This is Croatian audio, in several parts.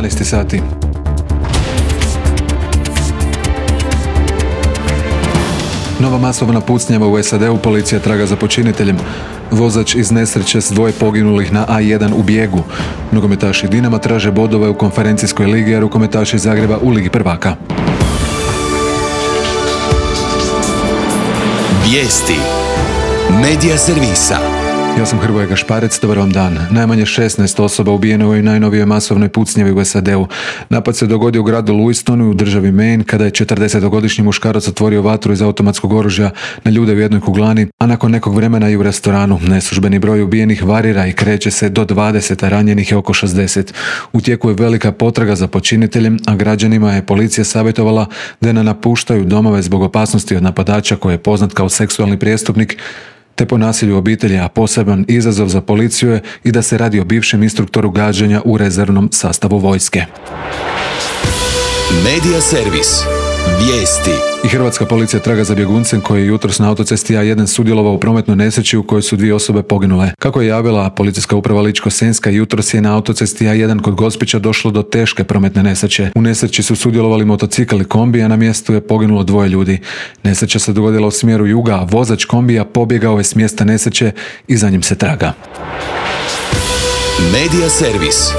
12 sati. Nova masovna pucnjava u SAD-u, policija traga za počiniteljem. Vozač iz nesreće s 2 poginulih na A1 u bijegu. Nogometaši Dinama traže bodove u konferencijskoj ligi, a rukometaši Zagreba u Ligi prvaka. Vijesti Medija servisa. Ja sam Hrvoje Gašparec, dobar vam dan. Najmanje 16 osoba ubijeno u ovoj najnovijoj masovnoj pucnjavi u SAD-u. Napad se dogodio u gradu Louistonu u državi Maine kada je 40-godišnji muškarac otvorio vatru iz automatskog oružja na ljude u jednoj kuglani, a nakon nekog vremena i u restoranu. Neslužbeni broj ubijenih varira i kreće se do 20, a ranjenih je oko 60. U tijeku je velika potraga za počiniteljem, a građanima je policija savjetovala da ne napuštaju domove zbog opasnosti od napadača koji je poznat kao seksualni prijestupnik, te po nasilju u obitelji, a poseban izazov za policiju je i da se radi o bivšem instruktoru gađanja u rezervnom sastavu vojske. Medija servis. Vijesti. I hrvatska policija traga za bjeguncem koji je jutros na autocesti A1 sudjelovao u prometnoj nesreći u kojoj su 2 osobe poginule. Kako je javila policijska uprava Ličko-senjska, jutros je na autocesti A1 kod Gospića došlo do teške prometne nesreće. U nesreći su sudjelovali motocikl i kombi, a na mjestu je poginulo 2 ljudi. Nesreća se dogodila u smjeru juga, a vozač kombija pobjegao je s mjesta nesreće i za njim se traga. Medija servis.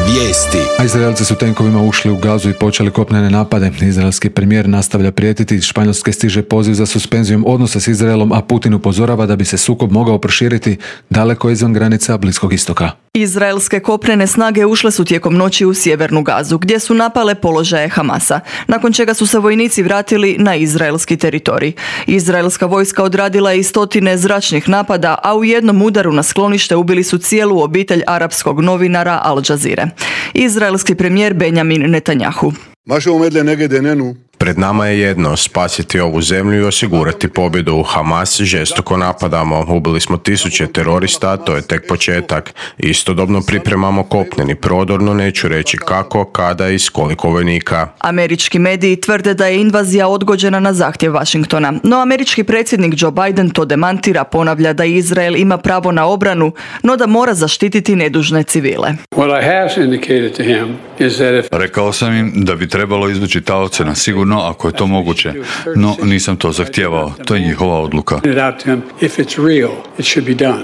Vijesti. A Izraelci su tenkovima ušli u Gazu i počeli kopnene napade. Izraelski premijer nastavlja prijetiti, iz Španjolske stiže poziv za suspenzijom odnosa s Izraelom, a Putin upozorava da bi se sukob mogao proširiti daleko izvan granica Bliskog istoka. Izraelske kopnene snage ušle su tijekom noći u sjevernu Gazu, gdje su napale položaje Hamasa, nakon čega su se vojnici vratili na izraelski teritorij. Izraelska vojska odradila je i 100 zračnih napada, a u jednom udaru na sklonište ubili su cijelu obitelj arapskog novinara Al Jazeere. Izraelski premijer Benjamin Netanjahu. Pred nama je jedno, spasiti ovu zemlju i osigurati pobjedu. U Hamas žestoko napadamo, ubili smo 1000 terorista, to je tek početak. Istodobno pripremamo kopneni prodor, no neću reći kako, kada i s koliko vojnika. Američki mediji tvrde da je invazija odgođena na zahtjev Washingtona, no američki predsjednik Joe Biden to demantira, ponavlja da Izrael ima pravo na obranu, no da mora zaštititi nedužne civile. Rekao sam im da bi trebalo izvući taoce na sigurno ako je to moguće, no nisam to zahtijevao, to je njihova odluka.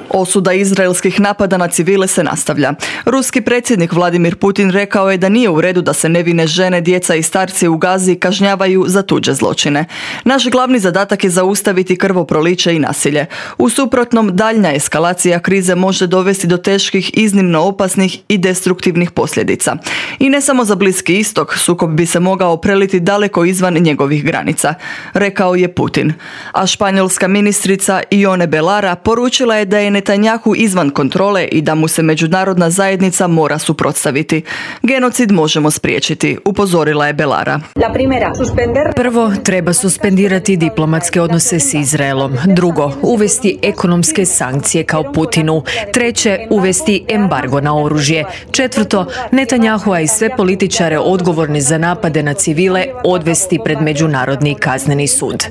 Osuda izraelskih napada na civile se nastavlja. Ruski predsjednik Vladimir Putin rekao je da nije u redu da se nevine žene, djeca i starci u Gazi kažnjavaju za tuđe zločine. Naš glavni zadatak je zaustaviti krvoproliće i nasilje. U suprotnom, daljnja eskalacija krize može dovesti do teških, iznimno opasnih i destruktivnih posljedica. I ne samo za Bliski istok, sukob bi se mogao preliti daleko izvan njegovih granica, rekao je Putin. A španjolska ministrica Ione Belarra poručila je da je Netanjahu izvan kontrole i da mu se međunarodna zajednica mora suprotstaviti. Genocid možemo spriječiti, upozorila je Belarra. Prvo, treba suspendirati diplomatske odnose s Izraelom. Drugo, uvesti ekonomske sankcije kao Putinu. Treće, uvesti embargo na oružje. Četvrto, Netanjahua i sve političare odgovorni za napade na civile odvesti pred Međunarodni kazneni sud.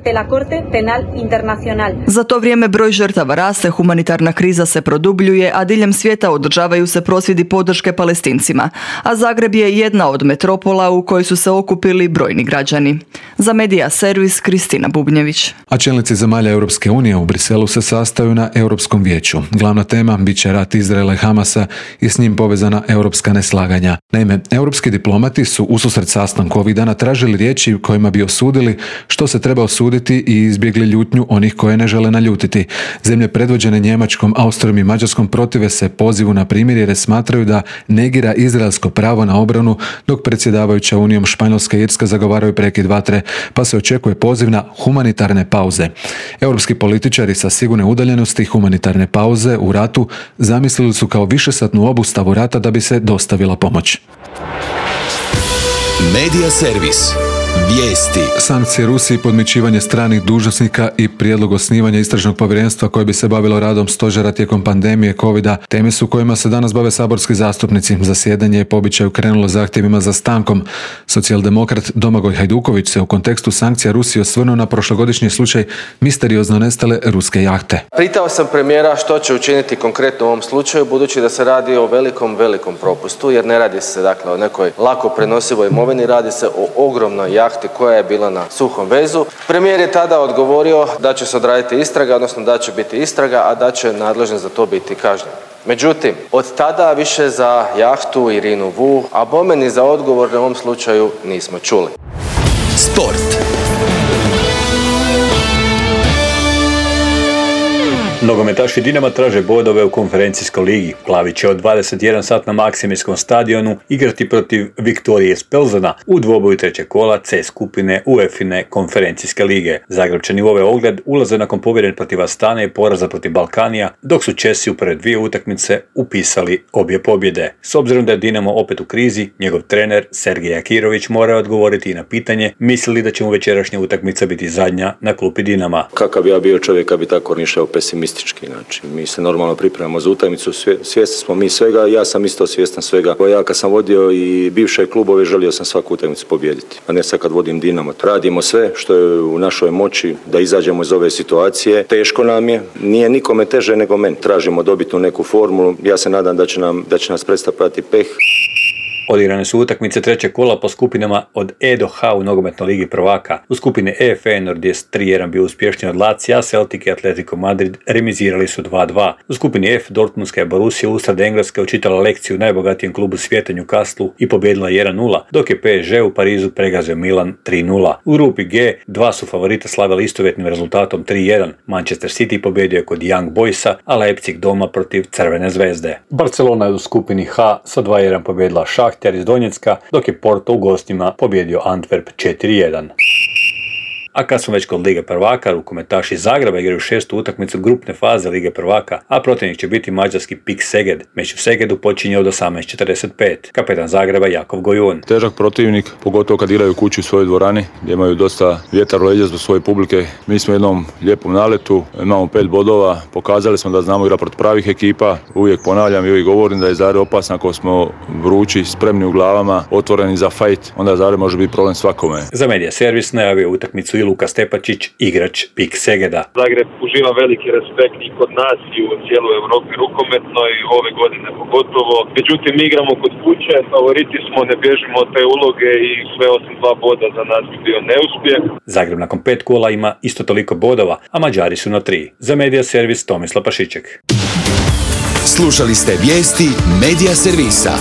Za to vrijeme broj žrtava raste, humanitarna kriza se produbljuje, a diljem svijeta održavaju se prosvjedi podrške Palestincima, a Zagreb je jedna od metropola u kojoj su se okupili brojni građani. Za Medija servis Kristina Bubnjević. A čelnici zemalja Europske unije u Briselu se sastaju na Europskom vijeću. Glavna tema bit će rat Izraela i Hamasa i s njim povezana europska neslaganja. Naime, europski diplomati su ususret sastanku ovih dana tražili riječi kojima bi osudili što se treba osuditi i izbjegli ljutnju onih koje ne žele naljutiti. Zemlje predvođene Njemačkom, Austrijom i Mađarskom protive se pozivu na primirje jer smatraju da negira izraelsko pravo na obranu, dok predsjedavajuća Unijom Španjolska i Irska zagovaraju prekid vatre, pa se očekuje poziv na humanitarne pauze. Europski političari sa sigurne udaljenosti humanitarne pauze u ratu zamislili su kao višesatnu obustavu rata da bi se dostavila pomoć. Medija servis. Vijesti. Sankcije Rusiji, podmićivanje stranih dužnosnika i prijedlog osnivanja istražnog povjerenstva koje bi se bavilo radom stožera tijekom pandemije covida teme su kojima se danas bave saborski zastupnici. Zasjedanje je po običaju krenulo zahtjevima za stankom. Socijaldemokrat Domagoj Hajduković se u kontekstu sankcija Rusije osvrnuo na prošlogodišnji slučaj misteriozno nestale ruske jahte. Pitao sam premijera što će učiniti konkretno u ovom slučaju, budući da se radi o velikom propustu, jer ne radi se dakle o nekoj lako prenosivoj imovini, radi se o ogromnoj jahti koja je bila na suhom vezu. Premijer je tada odgovorio da će se odraditi istraga, odnosno da će biti istraga, a da će nadležni za to biti kažnjen. Međutim, od tada više za jahtu Irinu VU, a bome ni za odgovor u ovom slučaju nismo čuli. Sport. Nogometaši Dinama traže bodove u konferencijskoj ligi. Plavi će od 21 sat na Maksimirskom stadionu igrati protiv Viktorije iz Pelzana u dvoboju trećeg kola C skupine UEFA-ine konferencijske lige. Zagrebčani u ovaj ogled ulaze nakon pobjede protiv Astane i poraza protiv Balkanija, dok su Česi u prve dvije utakmice upisali obje pobjede. S obzirom da je Dinamo opet u krizi, njegov trener Sergej Akirović mora odgovoriti i na pitanje misli li da će mu večerašnja utakmica biti zadnja na klupi Dinama. Kakav bi ja bio čovjek kad bi tako nišao pesimistički. Znači, mi se normalno pripremamo za utakmicu, svjesni smo mi svega, ja sam isto svjestan svega. Ja kad sam vodio i bivše klubove, želio sam svaku utakmicu pobijediti, a ne sad kad vodim Dinamo. Radimo sve što je u našoj moći da izađemo iz ove situacije. Teško nam je, nije nikome teže nego meni. Tražimo dobitnu neku formulu, ja se nadam da će nas predstavljati peh. Odigrane su utakmice trećeg kola po skupinama od E do H u nogometnoj ligi prvaka. U skupini E Feyenoord je 3-1 bio uspješniji od Lazija, Celtic i Atletico Madrid remizirali su 2-2. U skupini F Dortmundska je Borussia usred Engleske učitala lekciju najbogatijem klubu svijeta Newcastlu i pobijedila 1-0, dok je PSG u Parizu pregazio Milan 3-0. U grupi G dva su favorita slavili istovjetnim rezultatom 3-1. Manchester City pobjedio je kod Young Boysa, a Leipzig doma protiv Crvene zvezde. Barcelona je u skupini H sa 2-1 pobjedila Šah iz Donjecka, dok je Porto u gostima pobjedio Antwerp 4-1. A kad smo već kod Lige prvaka, rukometaši iz Zagreba igraju šestu utakmicu grupne faze Lige prvaka, a protivnik će biti mađarski PIK Szeged. Meč u Segedu počinje od 18:45. Kapetan Zagreba Jakov Gojun. Težak protivnik, pogotovo kad igraju kući u svojoj dvorani, gdje imaju dosta vjetar u leđa zbog svoje publike. Mi smo u jednom lijepom naletu, imamo 5 bodova, pokazali smo da znamo igrati protiv pravih ekipa. Uvijek ponavljam i uvijek govorim da je Zagreb opasan ako smo vrući, spremni u glavama, otvoreni za fajt, onda Zagreb može biti problem svakome. Za Medija servis najavio utakmicu i Luka Stepačić, igrač PIK Szegeda. Zagreb uživa veliki respekt i kod nas i u cijeloj Europi rukometnoj, ove godine pogotovo. Međutim, mi igramo kod kuće, favoriti smo, ne bježimo od te uloge i sve osim 2 boda za nas bi bio neuspjeh. Zagreb nakon 5 kola ima isto toliko bodova, a Mađari su na 3. Za Medija servis Tomislav Pašiček. Slušali ste vijesti Medija servisa.